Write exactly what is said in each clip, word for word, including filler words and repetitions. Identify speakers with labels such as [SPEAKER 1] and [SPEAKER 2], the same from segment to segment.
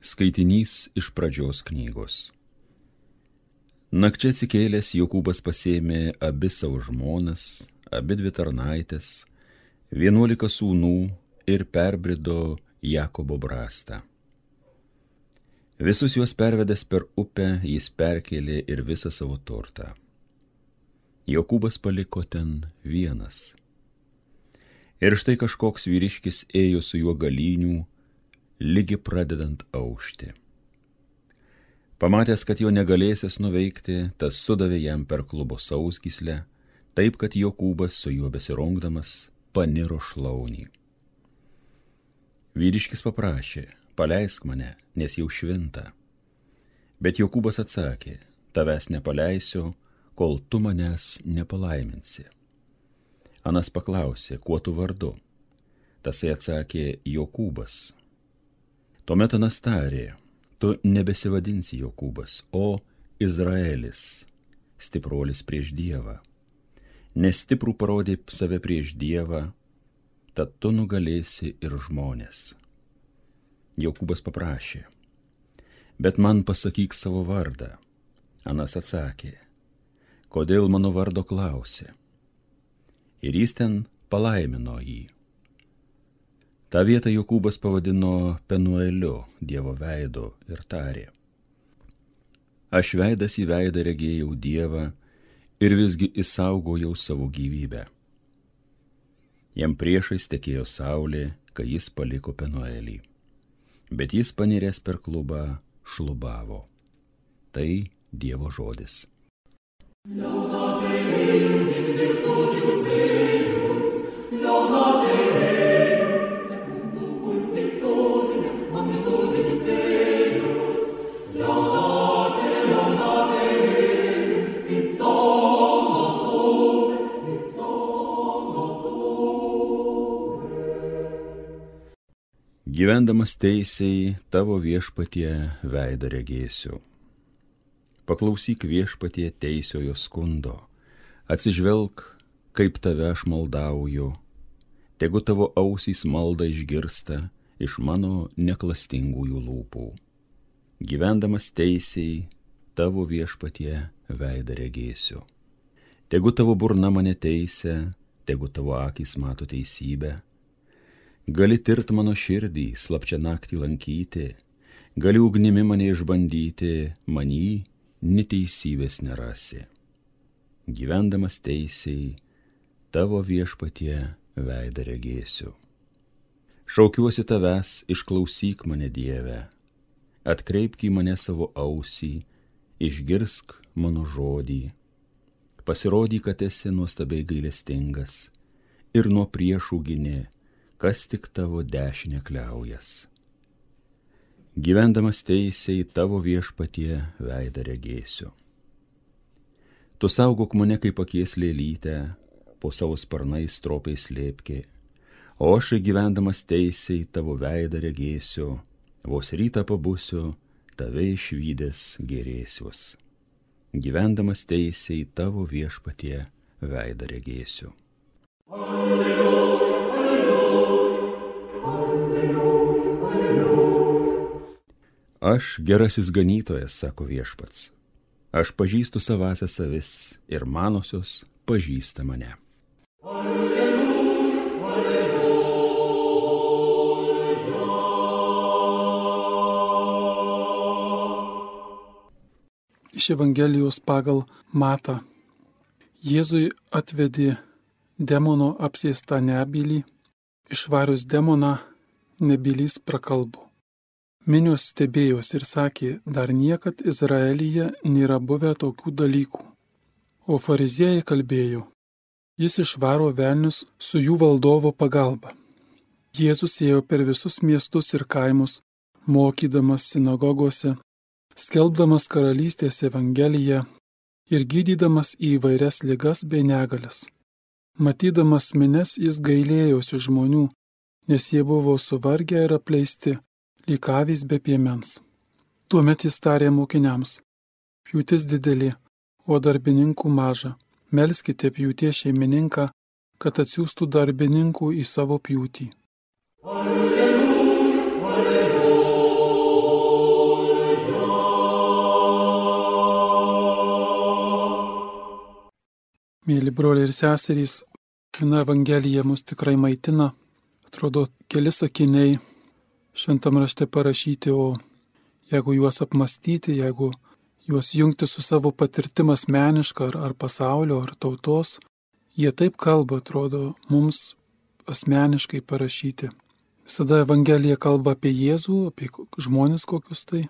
[SPEAKER 1] Skaitinys iš pradžios knygos. Nakčia atsikėlęs Jokūbas pasėmė abi savo žmonas, abi dvi tarnaitės, vienuolika sūnų ir perbrido Jakobo brastą. Visus juos pervedęs per upę, jis perkėlė ir visą savo turtą. Jokūbas paliko ten vienas. Ir štai kažkoks vyriškis ėjo su juo galynių, lygi pradedant aušti. Pamatęs, kad jo negalėsis nuveikti, tas sudavė jam per klubo sausgyslę, taip, kad Jokūbas su juo besirungdamas paniro šlaunį. Vyriškis paprašė, paleisk mane, nes jau švinta. Bet Jokūbas atsakė, tavęs nepaleisiu, kol tu manęs nepalaiminsi. Anas paklausė, kuo tu vardu? Tasai atsakė, Jokūbas. Tuomet Anas tarė, tu nebesivadinsi Jokūbas, o Izraelis, stipruolis prieš Dievą. Nes stiprų parodė save prieš Dievą, tad tu nugalėsi ir žmonės. Jokūbas paprašė, bet man pasakyk savo vardą. Anas atsakė, kodėl mano vardo klausė? Ir jis ten palaimino jį. Ta vietą Jokūbas pavadino Penueliu, Dievo veidu, ir tarė, aš veidas į veidą regėjau Dievą ir visgi išsaugojau savo gyvybę. Jam priešais tekėjo saulė, kai jis paliko Penuelį, bet jis paniręs per klubą šlubavo. Tai Dievo žodis. Gyvendamas teisiai, tavo viešpatie veidą regėsiu. Paklausyk viešpatie teisiojo skundo, atsižvelk, kaip tave aš maldauju, tegu tavo ausys maldą išgirsta iš mano neklastingųjų lūpų. Gyvendamas teisiai, tavo viešpatie veidą regėsiu. Tegu tavo burna mane teisia, tegu tavo akys mato teisybę. Gali tirt mano širdį, slapčia naktį lankyti, gali ugnimi mane išbandyti, manį neteisybės nerasi. Gyvendamas teisiai, tavo viešpatie veidą regėsiu. Šaukiuosi tavęs, išklausyk mane Dieve, atkreipk į mane savo ausį, išgirsk mano žodį. Pasirodyk, kad esi nuostabiai gailestingas ir nuo priešų gini, kas tik tavo dešinę kliaujas. Gyvendamas teisiai, tavo viešpatie veidą regėsiu. Tu saugok mane kaip akies lėlytę, po savo sparnais stropiai slėpki, o aš gyvendamas teisiai tavo veidą regėsiu, vos rytą pabusiu, tave išvydęs gerėsiuos. Gyvendamas teisiai, tavo viešpatie veidą regėsiu. Alleluja. Aš gerasis ganytojas, sako viešpats, aš pažįstu savąsias avis ir manosios pažįsta mane. Alleluja, alleluja.
[SPEAKER 2] Iš Evangelijos pagal Matą. Jėzui atvedė demono apsėstą nebylį, išvarius demoną nebylys prakalbo. Minios stebėjos ir sakė, dar niekad Izraelyje nėra buvę tokių dalykų. O fariziejai kalbėjo, jis išvaro velnius su jų valdovo pagalba. Jėzus ėjo per visus miestus ir kaimus, mokydamas sinagogose, skelbdamas karalystės evangeliją ir gydydamas įvairias ligas bei negalias. Matydamas minias jis gailėjosi žmonių, nes jie buvo suvargę ir apleisti, lyg avys be piemens. Tuomet jis tarė mokiniams, pjūtis didelė, o darbininkų maža. Melskite pjūties šeimininką, kad atsiųstų darbininkų į savo pjūtį. Alleluja, alleluja. broliai ir seserys, viena evangelija mus tikrai maitina. Atrodo, keli sakiniai šventam rašte parašyti, o jeigu juos apmastyti, jeigu juos jungti su savo patirtim asmeniška ar, ar pasaulio, ar tautos, jie taip kalba, atrodo, mums asmeniškai parašyti. Visada evangelija kalba apie Jėzų, apie žmonės kokius tai,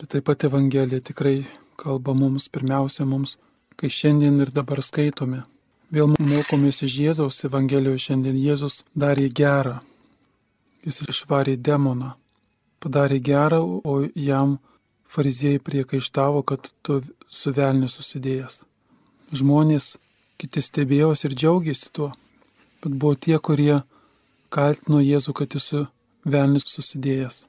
[SPEAKER 2] bet taip pat evangelija tikrai kalba mums, pirmiausia mums, kai šiandien ir dabar skaitome. Vėl mokomės iš Jėzaus evangelijoje šiandien. Jėzus darė gerą. Jis išvarė demoną. Padarė gerą, o jam fariziejai priekaištavo, kad tu su velniu susidėjęs. Žmonės kiti stebėjosi ir džiaugiasi tuo, bet buvo tie, kurie kaltino Jėzų, kad jis su velniu susidėjęs.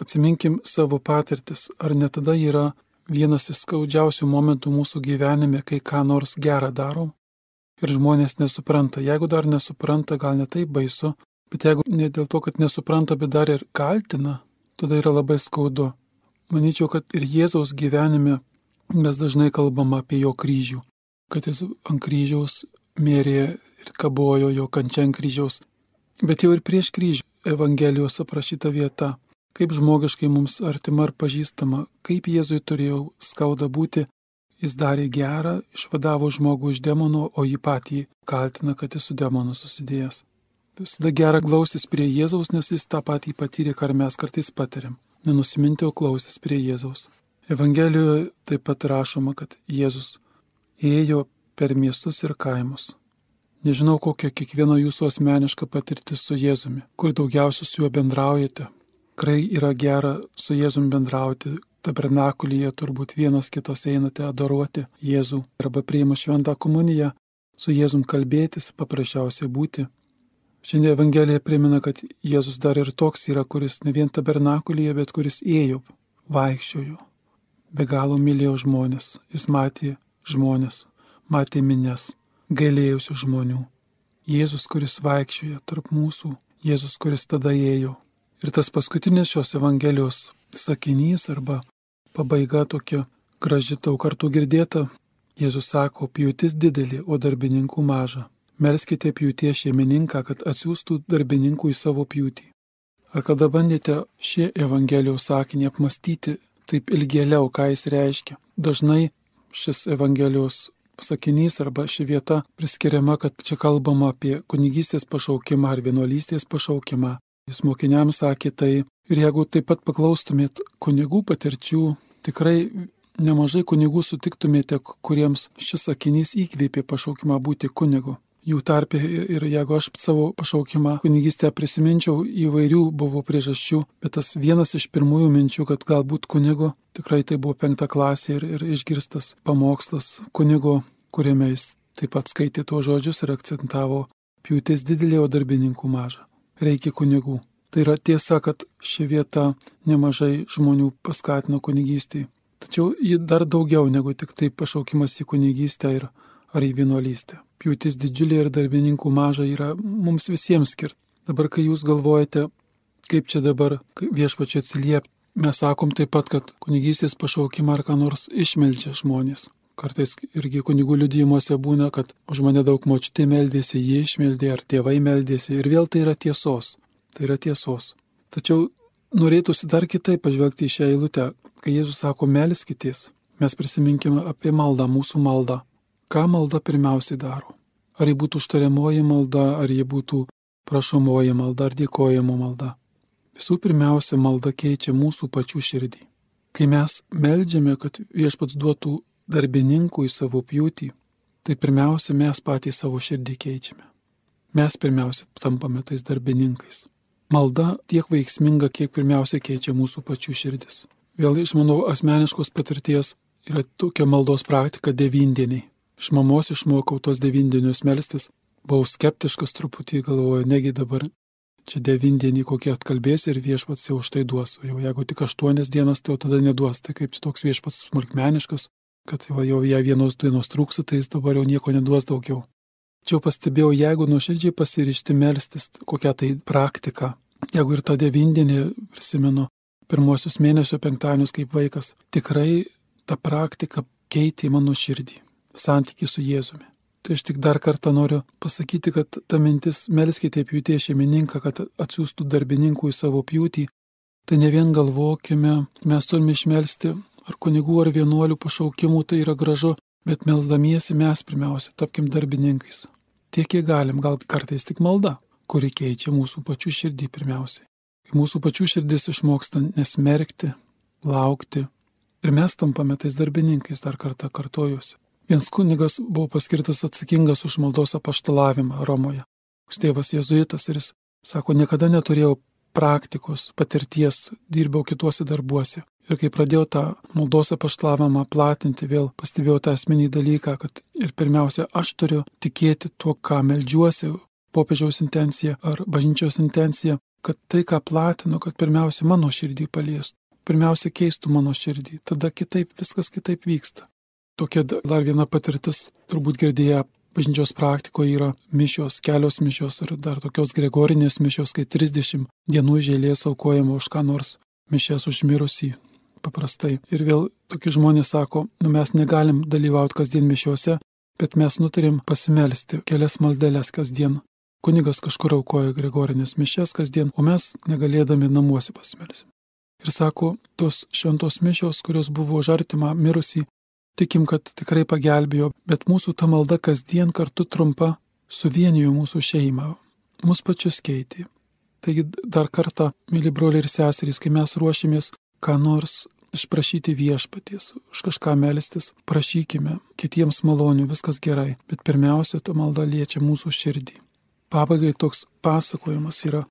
[SPEAKER 2] Atsiminkim savo patirtis, ar ne tada yra vienas iš skaudžiausių momentų mūsų gyvenime, kai ką nors gerą darom ir žmonės nesupranta. Jeigu dar nesupranta, gal ne taip baisu, bet jeigu ne dėl to, kad nesupranta, bet dar ir kaltina, tada yra labai skaudu. Manyčiau, kad ir Jėzaus gyvenime mes dažnai kalbam apie jo kryžių, kad jis ant kryžiaus mėrė ir kabojo jo kančia ant kryžiaus. Bet jau ir prieš kryžių Evangelijos aprašyta vieta, kaip žmogiškai mums artima ir pažįstama, kaip Jėzui turėjo skauda būti, jis darė gerą, išvadavo žmogų iš demono, o jį patį kaltina, kad jis su demonu susidėjęs. Visada gera glaustis prie Jėzaus, nes jis tą patį patyrė, ką mes kartais patiriam. Nenusiminti, o klaustis prie Jėzaus. Evangelijoje taip pat rašoma, kad Jėzus ėjo per miestus ir kaimus. Nežinau, kokia kiekvieno jūsų asmeniška patirtis su Jėzumi, kur daugiausiai su juo bendraujate. Tikrai yra gera su Jėzumi bendrauti. Tabernakulyje turbūt vienas kitos einate adoruoti Jėzų arba priima šventą komuniją, su Jėzum kalbėtis, paprasčiausiai būti. Šiandien Evangelija primena, kad Jėzus dar ir toks yra, kuris ne vien tabernakulyje, bet kuris ėjo, vaikščiojo, be galo mylėjo žmonės. Jis matė žmonės, matė minias, gailėjusių žmonių. Jėzus, kuris vaikščioja tarp mūsų, Jėzus, kuris tada ėjo. Ir tas paskutinis šios Evangelijos sakinys arba pabaiga tokia graži, daug kartų girdėta. Jėzus sako, pjūtis didelė, o darbininkų maža. Melskite pjūties šeimininką, kad atsiųstų darbininkų į savo pjūtį. Ar kada bandėte šį Evangelijos sakinį apmastyti taip ilgėliau, ką jis reiškia? Dažnai šis Evangelijos sakinys arba ši vieta priskiriama, kad čia kalbama apie kunigystės pašaukimą ar vienuolystės pašaukimą. Jis mokiniams sakė tai. Ir jeigu taip pat paklaustumėt kunigų patirčių, tikrai nemažai kunigų sutiktumėte, kuriems šis sakinys įkvėpė pašaukimą būti kunigu. Jų tarpe ir jeigu aš savo pašaukimą kunigystę prisiminčiau, įvairių buvo priežasčių, bet tas vienas iš pirmųjų minčių, kad galbūt kunigo, tikrai tai buvo penkta klasė ir, ir išgirstas pamokslas kunigo, kuriame jis taip pat skaitė tuos žodžius ir akcentavo pjūtis didelė, o darbininkų maža. Reikia kunigų. Tai yra tiesa, kad ši vieta nemažai žmonių paskatino kunigystėje. Tačiau ji dar daugiau negu tik tai pašaukimas į kunigystę ir ar į vienuolystę. Pjūtis didžiulė ir darbininkų maža yra mums visiems skirta. Dabar, kai jūs galvojate, kaip čia dabar viešpačiui atsiliepti, mes sakom taip pat, kad kunigystės pašaukimą ar ką nors išmeldžia žmonės. Kartais irgi kunigų liudijimuose būna, kad už mane daug močiutė meldėsi, jie išmeldė, ar tėvai meldėsi, ir vėl tai yra tiesos. Tai yra tiesos. Tačiau norėtųsi dar kitaip pažvelgti į šią eilutę. Kai Jėzus sako, melskitės, mes prisiminkime apie maldą, mūsų maldą. Ką malda pirmiausiai daro? Ar ji būtų užtariamoji malda, ar ji būtų prašomoji malda, ar dėkojimo malda? Visų pirmiausia, malda keičia mūsų pačių širdį. Kai mes meldžiame, kad viešpats duotų darbininkų į savo pjūtį, tai pirmiausia, mes patys savo širdį keičiame. Mes pirmiausia tampame tais darbininkais. Malda tiek veiksminga, kiek pirmiausia keičia mūsų pačių širdis. Vėl iš mano asmeniškos patirties yra tokia maldos praktika devyndieniai. Iš mamos išmokau tos devyndienius melstis. Buvau skeptiškas truputį, galvoju, negi dabar čia devyndienį kokie atkalbės ir viešpats jau už tai duos. Jau jeigu tik aštuonias dienas, tai jau tada neduos. Tai kaip toks viešpats smulkmeniškas, kad jau jei vienos dienos trūksta, tai jis dabar jau nieko neduos daugiau. Tačiau pastebėjau, jeigu nuoširdžiai pasiryžti melstis, kokią tai praktiką, jeigu ir tą devyndienį prisimenu, pirmosius mėnesio penktadienius kaip vaikas, tikrai ta praktika keitė mano širdį, santykį su Jėzumi. Tai aš tik dar kartą noriu pasakyti, kad ta mintis melskite pjūties šeimininką, kad atsiųstų darbininkų į savo pjūtį. Tai ne vien galvokime, mes turime išmelsti ar kunigų, ar vienuolių pašaukimų, tai yra gražu, bet melsdamiesi mes pirmiausia tapkim darbininkais. Tiek, kiek galim, gal kartais tik malda, kuri keičia mūsų pačių širdį pirmiausiai. Kai mūsų pačių širdis išmoksta nesmerkti, laukti ir mes tampame tais darbininkais, dar kartą kartojuosi. Vienas kunigas buvo paskirtas atsakingas už maldos apaštalavimą Romoje. Tėvas jėzuitas ir jis sako, niekada neturėjau praktikos, patirties, dirbau kituose darbuose. Ir kai pradėjau tą maldos apaštalavimą platinti, vėl pastebėjau tą esminį dalyką, kad ir pirmiausia, aš turiu tikėti tuo, ką meldžiuosi, popiežiaus intencija ar bažnyčios intencija, kad tai, ką platinu, kad pirmiausia mano širdį paliestų, pirmiausia keistų mano širdį, tada kitaip, viskas kitaip vyksta. Tokia dar viena patirtis, turbūt girdėję bažnyčios praktikoje yra mišios, kelios mišios ir dar tokios gregorinės mišios, kai trisdešimt dienų iš eilės aukojama už ką nors, mišias už mirusį paprastai. Ir vėl tokie žmonės sako, nu mes negalim dalyvauti kasdien mišiuose, bet mes nutarėm pasimelsti kelias maldeles kasdien. Kunigas kažkur aukoja gregorinės mišias kasdien, o mes negalėdami namuose pasimelsim. Ir sako, tos šventos mišios, kurios buvo už artimą mirusį, tikim, kad tikrai pagelbėjo, bet mūsų ta malda kasdien kartu trumpa suvienijo mūsų šeimą, mus pačius keitė. Taigi dar kartą, mėly broliai ir seserys, kai mes ruošimės ką nors išprašyti viešpaties, už kažką melstis, prašykime kitiems malonių, viskas gerai, bet pirmiausia, ta malda liečia mūsų širdį. Pabaigai toks pasakojimas yra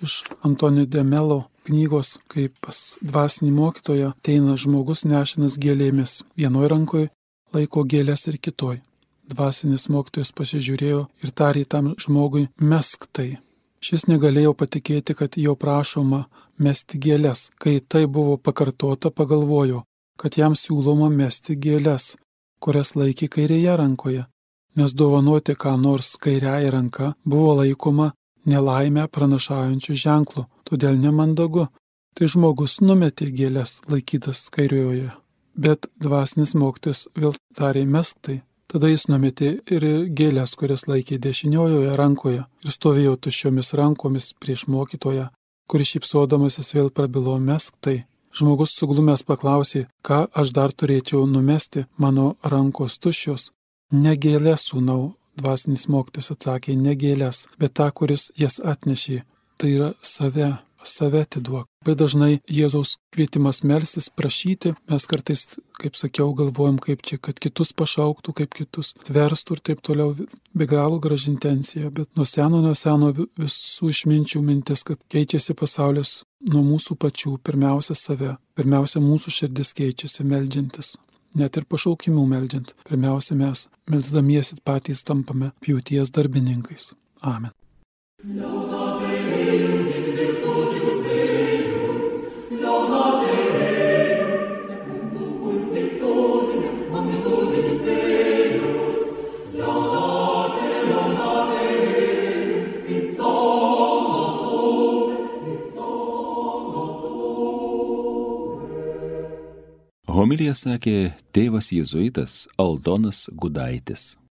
[SPEAKER 2] iš Antonio de Melo knygos, kaip pas dvasinį mokytoją ateina žmogus nešinas gėlėmis. Vienoj rankoje laiko gėlės ir kitoj. Dvasinis mokytojas pasižiūrėjo ir tarė tam žmogui, mesk tai. Šis negalėjo patikėti, kad jo prašoma mesti gėlės. Kai tai buvo pakartota, pagalvojo, kad jam siūloma mesti gėlės, kurias laikė kairėje rankoje, nes dovanoti ką nors kairiąja ranka buvo laikoma nelaimę pranašaujančių ženklų, todėl nemandagu. Tai žmogus numetė gėlės laikytas kairioje. Bet dvasinis mokytojas vėl tarė mesk tai. Tada jis numetė ir gėlės, kurias laikė dešiniojoje rankoje ir stovėjo tuščiomis rankomis prieš mokytoją, kuris šypsodamasis vėl prabilo mesk tai. Žmogus suglumęs paklausė, ką aš dar turėčiau numesti, mano rankos tuščios. Ne gėlės, sūnau. Dvasinis mokytojas atsakė, ne gėlės, bet tą, kuris jas atnešė. Tai yra save, save atiduok. Bet dažnai Jėzaus kvietimas melstis, prašyti, mes kartais, kaip sakiau, galvojam, kaip čia, kad kitus pašauktų, kaip kitus atverstų ir taip toliau, be galo graži intencija. Bet nuo seno, nuo seno visų išminčių mintis, kad keičiasi pasaulis nuo mūsų pačių, pirmiausia save, pirmiausia mūsų širdis keičiasi meldžiantis. Net ir pašaukimų meldžiant, pirmiausia mes, melsdamiesi patys tampame pjūties darbininkais. Amen.
[SPEAKER 1] Homiliją sakė tėvas jėzuitas Aldonas Gudaitis.